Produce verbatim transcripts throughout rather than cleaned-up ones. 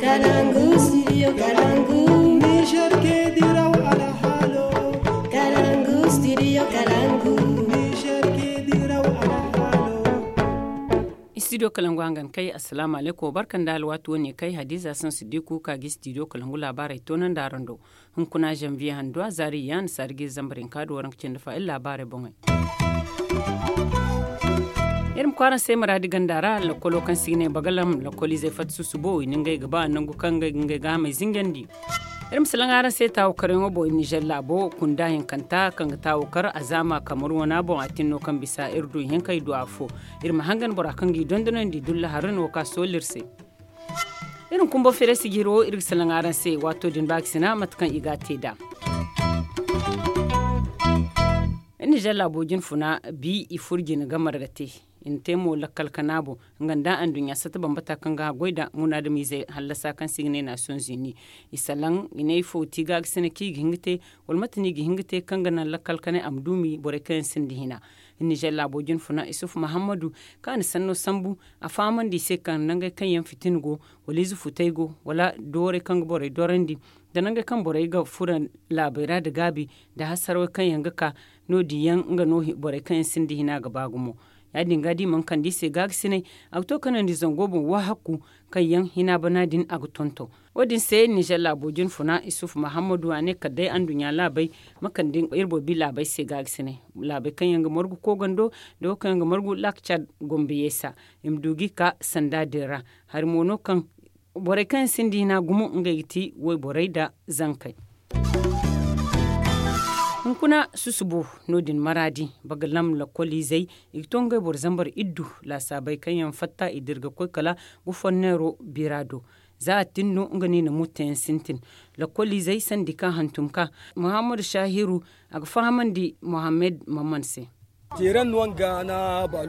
Kalangu, studio Kalangu. Niger ke diraw alhalo. Kalangu, studio Kalangu. Niger ke diraw alhalo. Studio Kalangu hangan kay, assalamu alaikum, barkan da alwatu wane kay, Hadiza San Sidiku ka gi studio Kalangu labarai tonan da rando. Hunkuna janvier hando a zaari yan sargi zambarin ka do waranka cindi fa illa labarai boŋay. Iri ma kwaran se maradi ganda ra lakkolo kaŋ si ne bagalam lakkolize fat susubo i ningay ga ba nangu kaŋ ga ngey ga hamay zingandi. Iri ma salaŋ araŋ se tawo karaŋo boŋ i nijar labo kunda hinkanta kaŋ ga tawo kar a zama kamar wana boŋ a tinno kaŋ bisa iri du hinkay du afo. Iri ma hangan bora kaŋ ga i dondonandi dulla harun wo ka solir se. Iri ma kumbo fere sijiri wo iri ga salaŋ araŋ se waato din ba ga sina mate kaŋ i ga a te nd'a. Iri na zalla boojin funa bi i furo jina ga marga te. I na te mo lakkal kana boŋ nga nda anduɲɲa sata bambata kaŋ ga haggoy nda munaadamiizey hallasa kaŋ se i ga ne naasiyoŋ zini. I salaŋ i ne ifo ti ga ga sina kaŋ i ga hin ga te wala mate no i ga hin ga te kaŋ ga naŋ lakkal kanay a ma duumi borey kaŋ yaŋ sinda hina. Iri na zalla boojin funa isufu mahammadu kaŋ a na sanno sambu a fahamandi i se kaŋ nangey kaŋ yaŋ fitina go wala ize futay go wala doorey kaŋ ga borey dorandi nda nangey kaŋ borey ga furo laabey ra nda gaabi nda hasarawey kaŋ yaŋ ga ka. No- din yaŋ nga no borey kaŋ yaŋ sinda hina ga ba gumo. Ya- din ga da i mana kande i se gaagasinay a ga to kanandi zango boŋ wahakku kaŋ yaŋ hina bana din a ga tonton. Wo- din se nizer laabo jinfuna isufu mahammadu a ne kala day anduɲɲa laabey ma kande iri boobi laabey se gaagasinay laabey kaŋ yaŋ ga margu koogando nda wo kaŋ yaŋ ga margu laakcar gombe yeesa i ma du ga i ka sanda din ra. Hari mo no kaŋ borey kaŋ yaŋ sinda hina gumo ngey ga ti wayborey nda zankey. Hunkuna susubo no- din maraadi baga lam lakkoliizey i ga to ngey boro zambar iddu laasaabey kaŋ yaŋ fatta i dira ga koy kala gufonneero bira do. Za a tin no nga no i na murtayaŋ sintin lakkoliizey sandi kaŋ hantum ka muhammadu sahiru a ga fahamandi muhammad maman se.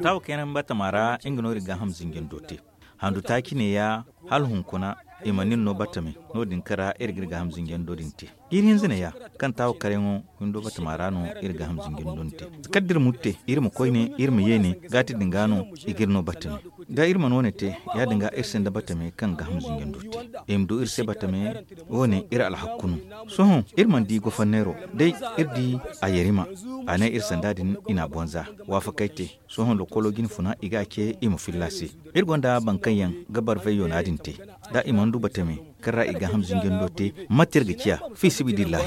Taawo kaŋ yaŋ batama ra nga no iri gaaham zinjando te handu taaci ne ya hala hunkuna i mana iri no batame. No- din kaŋ ra iri ga iri gaaham zinjando din te jiiri hinza ne ya kaŋ taawo karyaŋo windo batama ra no iri gaaham zinjando din te. Kala da iri murte iri ma koyne iri ma yeene gaati din ga no i ga iri no batame. Da iri mana wo- ne te ya- din ga iri sinda batame kaŋ gaaham zinjando te i ma du iri se batame. Wo- ne iri alhakku no. Sohõ iri mana di goforneero day iri di a yarima a ne iri sanda din i na a bonza waafakey te. Sohõ lokkolo jinfuna i ga a ce i ma filla se. Iri gonda boro kaŋ yaŋ ga barfay yoona din te da i mana du batame kaŋ ra i gaaham zinjando te mate iri ga ciya fi sabiilillahi.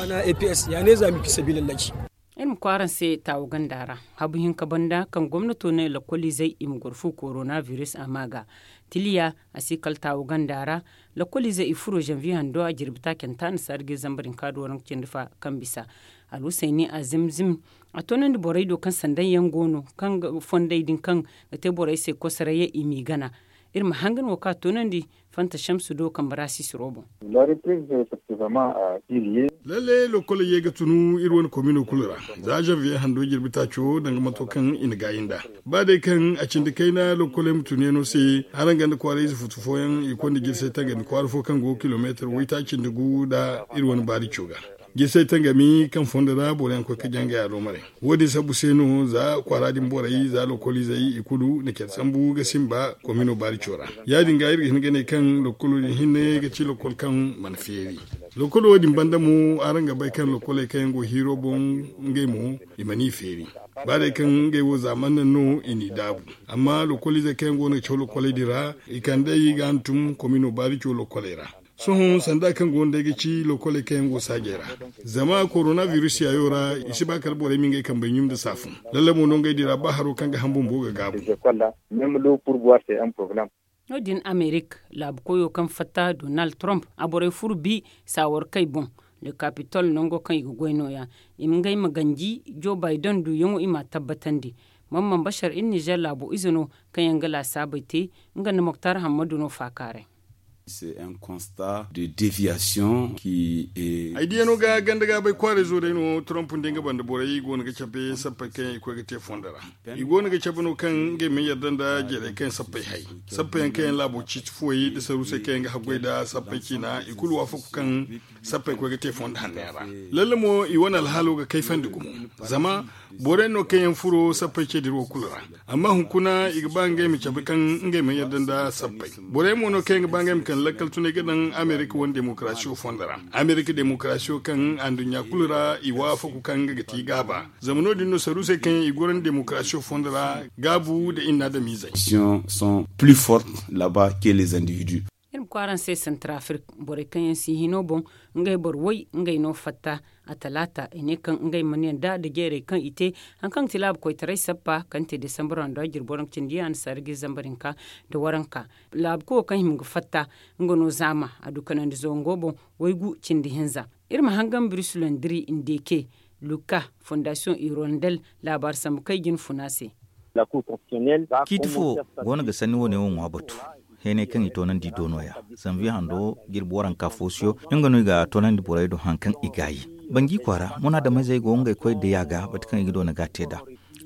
Iri ma koy araŋ se taawu ganda ra habu hinka banda kaŋ gomnato ne lakkoliizey i ma goro fu korona biris a ma ga tiliya a si kala taawu ganda ra. Lakkoliizey i furo zanviye hando a jirbi taacanta annasaara ga iri zambar hinka do waranka cindi fa kaŋ bisa alhusayni a zimzim a toonandi borey do kaŋ sanday yaŋ go no kaŋ ga fondey din kaŋ ga te borey se kosoray yaŋ i m'i gana. Iri ma hangan wo kaŋ a toonandi fanta samsu do kambe ra sisiro boŋ. Lalle lokkol ye ga tunu iri wane komino kulu ra za zanviye hando jirbi taaco danga mato kaŋ i na gaayi nd'a. Ba day kaŋ a cindi kayna lokkoley ma tunu yaŋo se araŋ ganda kwaara ize futu fooyaŋ i konda jirsay tangami kwaara fo kaŋ go kilomeetar waytaaci nda gu nda iri wane baarico ga. Jirsay tangami kaŋ fondo ra boro yaŋ koy ga jangay a doomare. Wo- din sabbu se no za kwaara din borey za lokkoliizey i kulu na care sambu ga sinba komino baarico ra. Ya- din ga iri ga hin ga ne kaŋ lokkolo din hinne ga ci lokkol kaŋ mana feeri. Lokkolo wo- din banda mo araŋ ga bay kaŋ lokkoley kaŋ yaŋ go hiiro boŋ ngey mo i mana i feeri. Ba day kaŋ ngey wo zaaman naŋ no i n'i daabu. Amma lokkoliizey kaŋ yaŋ go no ga caw lokkoley din ra i kand'ey ga hantum komino baarico lokkoley ra. Sohõ sanda kaŋ go no day ga ci lokkoley kaŋ yaŋ go saajey ra. Zama korona biris yaayo ra i si ba kala borey ma ngey kambey ɲum nda saafun. Lalle mo no ngey din ra ba haro kaŋ ga ham bumbo ga gaabu. No- din amerik laabu koyo kaŋ fatta donald trump a borey furo bi saawarkey boŋ. Le capitol nango kaŋ i ga goy nooya i ma ngey ma ganji joe biden duyaŋo i m'a tabbatandi. Mamman bashar iri nizer laabo ize no kaŋ yaŋ ga laasaabey te nga nda moktar hammadu no faakaaray. Ay diyano ga ganda ga bay kwaaray zo day no trump nda nga banda borey go no ga cabe sappey kaŋ yaŋ i koy ga te fondo ra. I go no ga cabe no kaŋ ngey ma yadda nda jerey kaŋ sappey hay sappey yaŋ kaŋ yaŋ laabo ciiti fuwey nda saruusey kaŋ yaŋ ga haggoy nda sappey ciina i kulu waafaku kaŋ sappey koy ga te fondo hanno yaŋ ra. Lalle mo i wane alhaalo ga kayfandi gumo. Zama borey no kaŋ yaŋ furo sappey ce dira wo kulu ra. Amma hunkuna i ga ba ngey ma cabe kaŋ ngey ma yadda nda sappey. Borey mo no kaŋ yaŋ ga ba ngey ma kaŋ Lakkal tunay ga daŋ amerika wane demokarasiyo fondo ra. Amerika demokarasiyo kaŋ anduɲɲa kulu ra i waafaku kaŋ nga ga ti gaaba. Zama no- din no saruusey kaŋ yaŋ i goro nda demokarasiyo fondo ra gaabu nda inna damiizey. Sont plus fortes là-bas que les individus. Iri ma kwaara se santar afirka, borey kaŋ yaŋ si hino boŋ, ngey boro way ngey no fatta. A talaata i ne kaŋ ngey mana yanda nda jeerey kaŋ i te, hari kaŋ ga ti laabu koytaray sappa kaŋ te desambaro handu a jirbo ra nga cindi annasaara ga iri zambar hinka nda waranka. Laabu koyo kaŋ hima ga fatta, nga no zaama a du kanandi zango boŋ, waygu cindi hinza. Iri ma hangan biris londiri ndeke, luka, fondasiyoŋ irondel, laabaari sambu kaŋ i jina funa se. Ciiti fo go no ga sanni wo- ne wo ŋwa batu. Heenay kaŋ i toonandi do no- ya. Zanviye hando jirbi waranka foosiyo, nga no i ga toonandi borey do hari kaŋ i gaayi. Banji kwaara munaadamizey go ngey koy diya ga bati kaŋ i ga doona ga a te nd'a.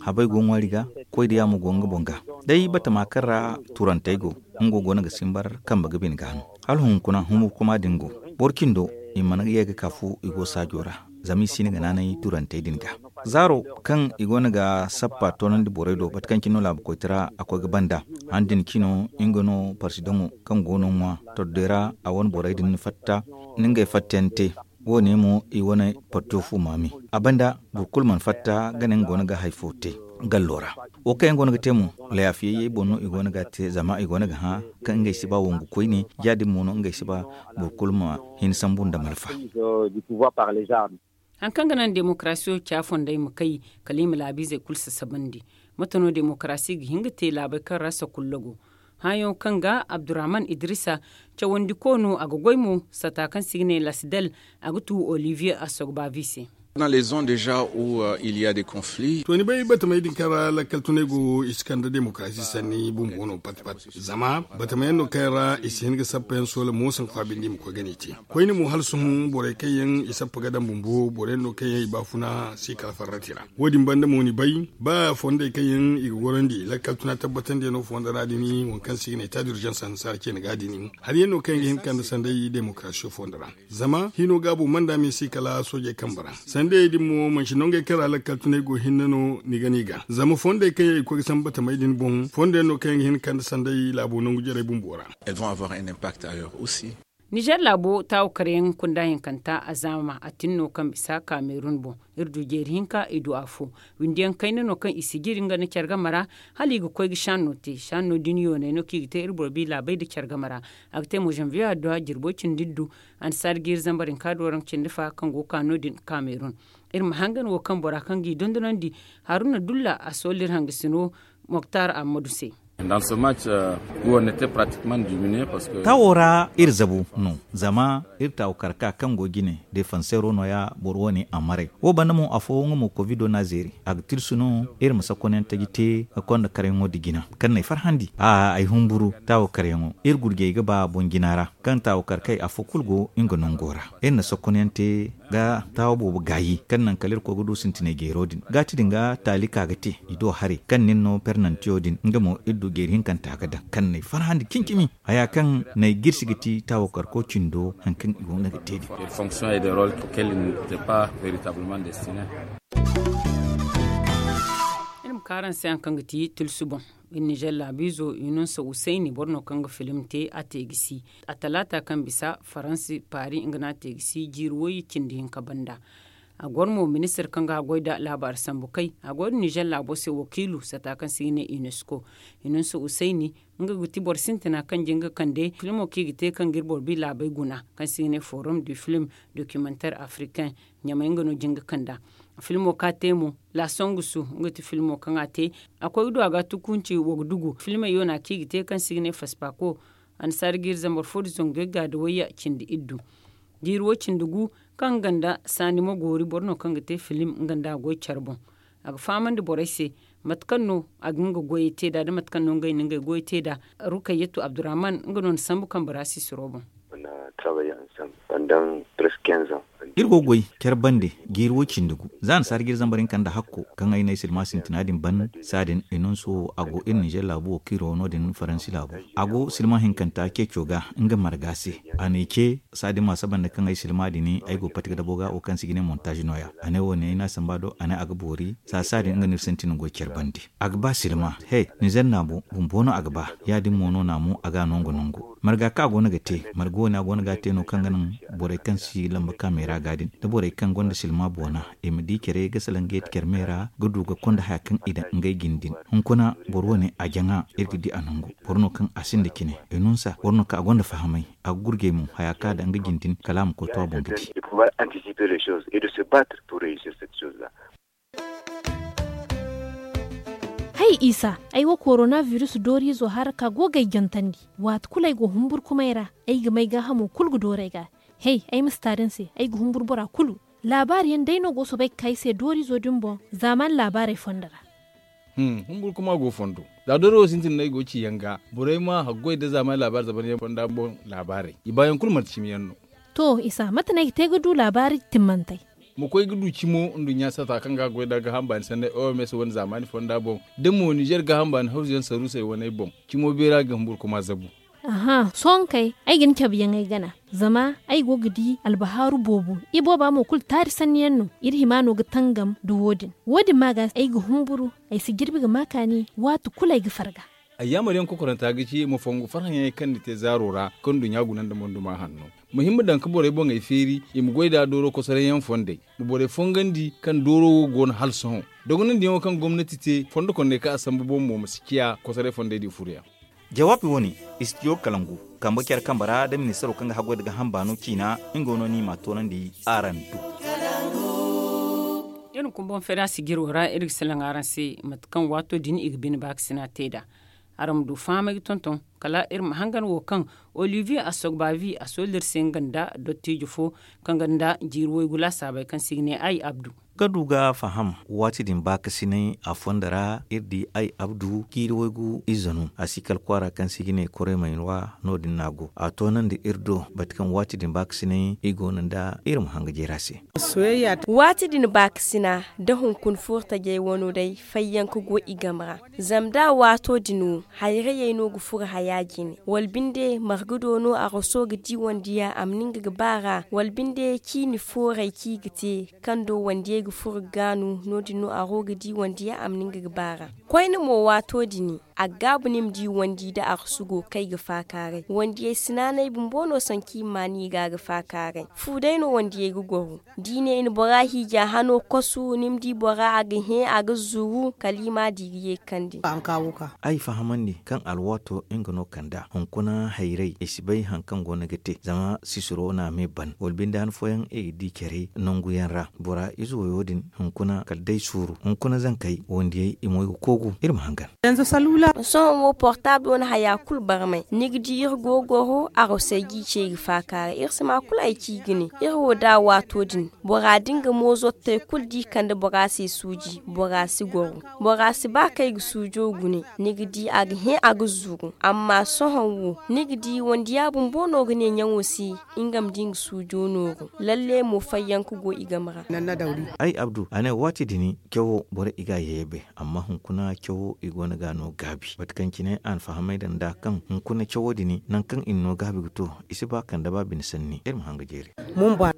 Habey go ŋwaari ga, koy diya mo go nga boŋ ga. Day batama kaŋ ra turantey go, nga go no ga simbar kambe ga bine ga no. Hala hunkuna humburkuma din go, boro cindo i mana ye ga ka fu i go saajo ra. Zama i si hin ga naanay turantey din ga. Zaaro kaŋ i go no ga sappa toonandi borey do bati kaŋ cine no laabu koytara a koy ga banda. Han din cino nga no parsidaŋo kaŋ go no ŋwa tordey ra, a wane borey din fatta, ni ngey fattayaŋ te. Wo- ne mo i wane parto fu maami. A banda boro kulu mana fatta ga ne nga go no ga hari fo te gallo ra. Wo kaŋ yaŋ go no ga te mo, layaafiyey boŋ no i go no ga a te zama i go no ga hã kaŋ ngey si ba wongu koyne. Ya- din mo no ngey si ba boro kulu ma hin sambu nda malfa. Hari kaŋ ga naŋ demokarasiyo ca fondey ma kay, kala i ma laabiizey kulu sasabandi. Mate no demokarasi ga hin ga te laabey kaŋ ra sakulla go? Hããyaŋo kaŋ ga abdurrahman idrisa cawandiko no a ga goy mo sata kaŋ se i ga ne lasdel, a ga tu olivier asogbavi se. Dans les zones déjà où il y a des conflits. To ni bay batamey din kaŋ ra lakkal tunay go i si kande demokarasi sanni bumbo no pat pat. Zama batamayaŋ no kaŋ ra i si hin ga sappayaŋ soola moosaŋ faabindi i ma koy ga ne i te. Koyne mo hala sohõ borey kaŋ yaŋ i sappa ga daŋ bumbo boroyaŋ no kaŋ yaŋ i baafuna si kala farrati ra. Wo- din banda mo ni bay ba fondey kaŋ yaŋ i ga gorandi lakkal tuna tabbatandiyaŋo fondo ra din waŋ kaŋ se i ga ne ta durjansa annasaara ceene ga din. Hari yaŋ no kaŋ yaŋ ga hin ga kande sanday demokarasiyo fondo ra. Zama hino gaabo manda me se kala soojey kambe ra. Sandayey din mo manci nongey kaŋ ra lakkal tunay go hinne no ni ga no i ga zama fondey kaŋ yaŋ i koy ga sambu batamey din boŋ fondo yaŋ no kaŋ yaŋ ga hin ga kande sanday laabo nangu jarey bumbo ra. Elles vont avoir un impact ailleurs aussi. Nizer laabo taawo kare yaŋ kunda hinkanta a zaama a tin no kaŋ bisa kamerun boŋ. Iri du jeeri hinka i du afo. Windi yaŋ kayna no kaŋ i si jiri nga nda care game ra. Hala i ga koy ga shanno te shanno din yooney no kaŋ i ga te iri boro bi laabey nda care game ra. A ga te mo zanviye adduwa jirbo cindi iddu. Annasaara ga iri zambar hinka dooraŋ cindi fa kaŋ go ga ka no- din kamerun. Iri ma hangan wo kaŋ bora kaŋ ga i dondonandi haruna dulla a sool'iri hangasino moktar ammadu se. Taawo ra iri zabu no zama iri taawo karka kaŋ go jine defanseero no- ya boro wane a maray wo banda mo afo nga mo kovido no a zeeri a ga tirsu no. Iri ma sakonyaŋ taji te ga konda karyaŋo nda jina kaŋ no ay farhandi a ay humburu taawo karyaŋo iri gurjey ga ba boŋ jina ra. Kaŋ taawo karkey afo kulu go nga nango ra iri na sakonyaŋ te ga taawo boobo gaayi kaŋ naŋ kala iri koy ga du sintinay jeero din gaati din ga taali ka ga te i do haray kaŋ nin no pernantiyo din nga mo iri du jeeri hinkanta ga daŋ kaŋ n'ay farhandi cimi-cimi. Haya kaŋ n'ay jirsi ga ti taawo karko cindo hari kaŋ i go nga ga te din. Iri ma ka araŋ se hari kaŋ ga ti tulsu boŋ. Iri nizer laabiizo inonsa usayni boro no kaŋ ga filim te a te ga si a talaata kaŋ bisa faransi paari nga no a te ga si jiiri wayye cindi hinka banda. A goro mo ministir kaŋ ga a goy nda laabaari sambu kay a go iri nizer laabo se wakiilu sata kaŋ se i ga ne unesco. Inonsa usayni nga ga ti boro sintina kaŋ jin ga kande filmo kaŋ i ga te kaŋ ga iri boro bi laabey guna kaŋ se i ga ne forum du film documentar africain. Ɲamay nga no jin ga kande a filmo kaŋ a te mo la songusu nga ti filmo kaŋ a te. A koy ga du a ga tukunci wa ga dugu filmey yoona kaŋ i ga te kaŋ se i ga ne faspako. Annasaara ga iri zambar fo nda zangu yagga nda wayya cindi iddu. Jiiri wo cindi gu kaŋ nga nda saani ma goori boro no kaŋ ga te filim nga nda a goy care boŋ. A ga fahamandi borey se mate kaŋ no a ga nga goyey te nd'a da mate kaŋ no ngey na ngey goyey te nd'a. Rukayyatu abdurrahman nga no na sambu kaŋ bora sisiro boŋ. Iri go ga goy care bande jiiri wo cindi gu za annasaara ga iri zambar hinka nda hakko kaŋ ay no ay silma sintina din ban. Saadin inonso a go iri nizer laabu wo kaŋ iri wo no- din faransi laabu. A go silma hinkanta ceeco ga nga marga se. A na i ce, saadin ma saba nda kaŋ ay silma din ay go ga pati ga dabo ga wo kaŋ se i ga ne montaaz no- ya. A ne wo- ne ay n'a samba do a ne a ga boori. Saasa din nga no iri sintin ga goy care bande. A ga ba silma he, ni zanna bo bumbo no a ga ba. Ya- din mo no naamu a ga a nongo nongo marga kaŋ a go no ga te marga wo- ne a go no ga a te no kaŋ ga naŋ borey kaŋ si lamba kaamey ra ga din, da borey kaŋ gonda silma boona i ma di care ga salaŋ ga yeeti care me ra ga du ga konda haya kaŋ i daŋ ngey jine din. Hunkuna boro wo- ne a jaŋa iri ga di a nangu. Boro no kaŋ a sinda cine i nunsa boro no kaŋ a gonda fahamay. A ga gurjey mo haya kaŋ a daŋ nga jine din kala a ma koy to a boŋ ga di. Hay isa, ay wo korona virus dooriizo hara ka go ga ay jantandi. Waati kulu ay go humburkumay ra, ay ga may gaahamo kulu ga dooru ay ga. Hey, ay ma si taari ni se, ay ga humburu bora kulu. Laabaari yaŋ day no go ga soobay ga ka ay se dooriizo din boŋ zaamaani laabaarey fondo ra. Humburkuma go fondo. Za dooro wo sintin no ay go ga ci yaŋ ga, borey ma haggoy nda zaamaani laabaari zaban yaŋ fonda boŋ laabaarey i baayaŋ kulu manti cimi yaŋ no. To isa mate no ay ga te ga du laabaari timmantey? Ma koy ga du cimo nduɲɲa sata kaŋ ga a goy nda gaaham baani sanney oms wane zaamaani fonda boŋ, da mo ninzeer gaaham baani hawzu yaŋ saruusey waney boŋ. Cimo beera ga humburkuma zabu. Aha sohõ kay, ay ga ni cabe yaŋ ay gana. Zama ay go ga di albahaaru boobo. Ibooba mo kulu taari sanni yaŋ no. Iri hima no ga tangam nda wo- din. Wo- din ma ga ay ga humburu. Ay si jirbi ga ma kaani waati kulu ay ga farga. Ay yaamar yaŋ kokoranta ga ci ma fongu farhã yaŋey kaŋ ni te zaaro ra kaŋ nduɲɲa guna nda monduma hanno. Ma hin ma daŋ ga borey boŋey feeri i ma goy nd'a dooro kosoray yaŋ fondey. Ma borey fongandi kaŋ dooro wo go no hala sohõ. Dogonandi yaŋo kaŋ gomnati te fondo kondey kaŋ a sambu boŋ mo ma si ciya kosoray fondey din furo yaŋ. Jawaabi wo- ne, istijo kalangu kambe care kambe ra nda ministaro kaŋ ga haggoy nda gaaham baano ciina. Nga wo no no i m'a toonandi araŋ do. Iri ma kumboŋ feera sijiro ra iri ga salaŋ araŋ se mate kaŋ waato din i ga bine baakasina te nd'a. Araŋ ma du fahamay ga tonton kala iri ma hangan wo kaŋ olivier asogbavi a soolda iri se nga nda dottiijo fo kaŋ gonda jiiri waygu laasaabey kaŋ se i ga ne ay abdu. Ga du ga faham waati din baakasinay a fondo ra iri di ay abdu jiiri waygu ize no a si kala kwaara kaŋ se i ga ne koremaynuwa. No- din no a go a toonandi iri do mate kaŋ waati din baakasinay i go no nda iri ma hanga jeera se. Waati din baakasina nda hunkuna furo tajey wano day fayyaŋ ga go i game ra. Zama da waato din wo hayrayey no ga furo haya jine wala binde marga do no araso ga di wandiya a ma ni nga ga ba ra wala binde ciini fooray kaŋ i ga te kaŋ do wandiyey ga furo ga gaanu no- din no aro ga di wandiya a ma ni nga ga ba ra. Koyne mo waato din a ga gaabu ni ma di wandi nda arasu go ga kay ga faakaaray wandiyey si naanay bumbo no sanku i ma maan i ga ga faakaaray fu day no wandiyey ga goro. Da i ne i na bora hiija hano kasu ni ma di bora a ga hẽ a ga zuru kala i ma a di ga ye ga kande. Ay fahamandi kaŋ alwaato nga no kand'a hunkuna hayray ay si bay hari kaŋ go no ga te zama sisiro no a me ban wala binde han fooyaŋ ay ga di care nangu yaŋ ra bora ize wayo din hunkuna kala day suuru hunkuna zankey wandiyey i mo ay ga koogu iri ma hangan. Sohõ wo portaablo na haya kulu barmay ni ga di iri go ga goro arosey g'i ce i ga faakaaray iri si ma kulu ay ci ga ne iri wo da waato din bora da nga moozottey kulu da i kande bora se suuji bora si goro. Bora si ba kaŋ ay ga suujo gune ni ga di a ga hẽ a ga zuru amma sohõ wo ni ga di wandiya bumbo no ga ne ɲaŋo se nga ma di nga suujo nooru lalle mo fayyaŋ ga go i game ra. Ay abdu a ne waati din cawo borey i ga a yayyabe amma hunkuna cawo i go no ga a no gaabi mate kaŋ cine a na fahamay daŋ nd'a kaŋ hunkuna cawo din nangu kaŋ i na no gaabi ga to i si ba kande ba bine sanni iri ma hanga jeeri.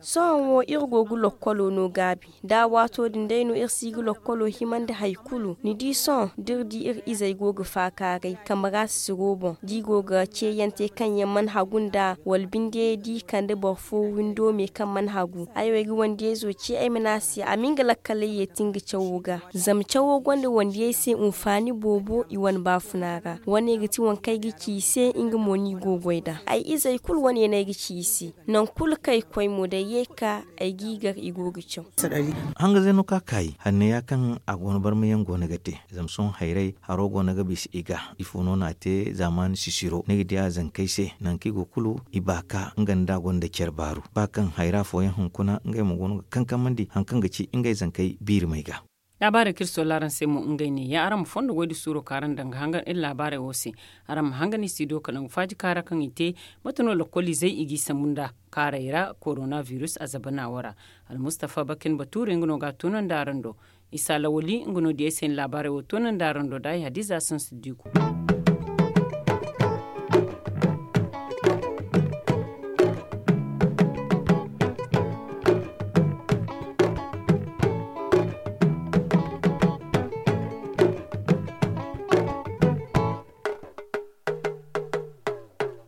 Sohõ wo iri go ga lokkolo no gaabi da waato din day no iri si ga lokkolo himandi hari kulu ni di sohõ da iri di iri izey go ga faakaaray kambe ra sisiro boŋ da i go ga ceeyaŋ te kaŋ yaŋ mana hagu nd'a wala binde da i kande boro fo windo me kaŋ mana hagu ay wo ay ga wandiyayzo ce ay ma ne a se a ma nga lakkaley yeeti nga cawo ga zama cawo gonda wandiyey se hunfaani boobo i wane baafuna ra wane ga ti waŋ kaŋ ay ga ci i se nga mo no i go ga goy nd'a ay izey kulu wane no ay ga ci i se. Nangu kulu kaŋ ay ga koy mo da ay ye ga ka ay g'i gar i go ga caw. Hanga zayno ka kaayi hanneya kaŋ a go no barmayaŋ go no ga te zama sohõ hayray haro go no ga bisa i ga ifo no no a te zaamaani sisiro ni ga di a zankey se nangu kaŋ i go kulu i baaka nga nda gonda care baaru ba kaŋ hayra fooyaŋ hunkuna ngey mo go no ga kankamandi hari kaŋ ga ci ngey zankey biirimey ga. Laabaarey kaŋ iri soola araŋ se mo ngey ne ya araŋ ma fondo goy nda suuro kaŋ araŋ daŋ ga hangan iri laabaarey wo se. Araŋ ma hangan i si do ka nangu faaji kaara kaŋ i te mate no lakkoliizey i g'i sambu nd'a kaarey ra korona virus a zabana wo ra. Almustafa bakin batuure nga no ga a toonandi araŋ do. Isa lawali nga no diyey se ni laabaarey wo toonandi araŋ do da ay hadiza sansa diiku.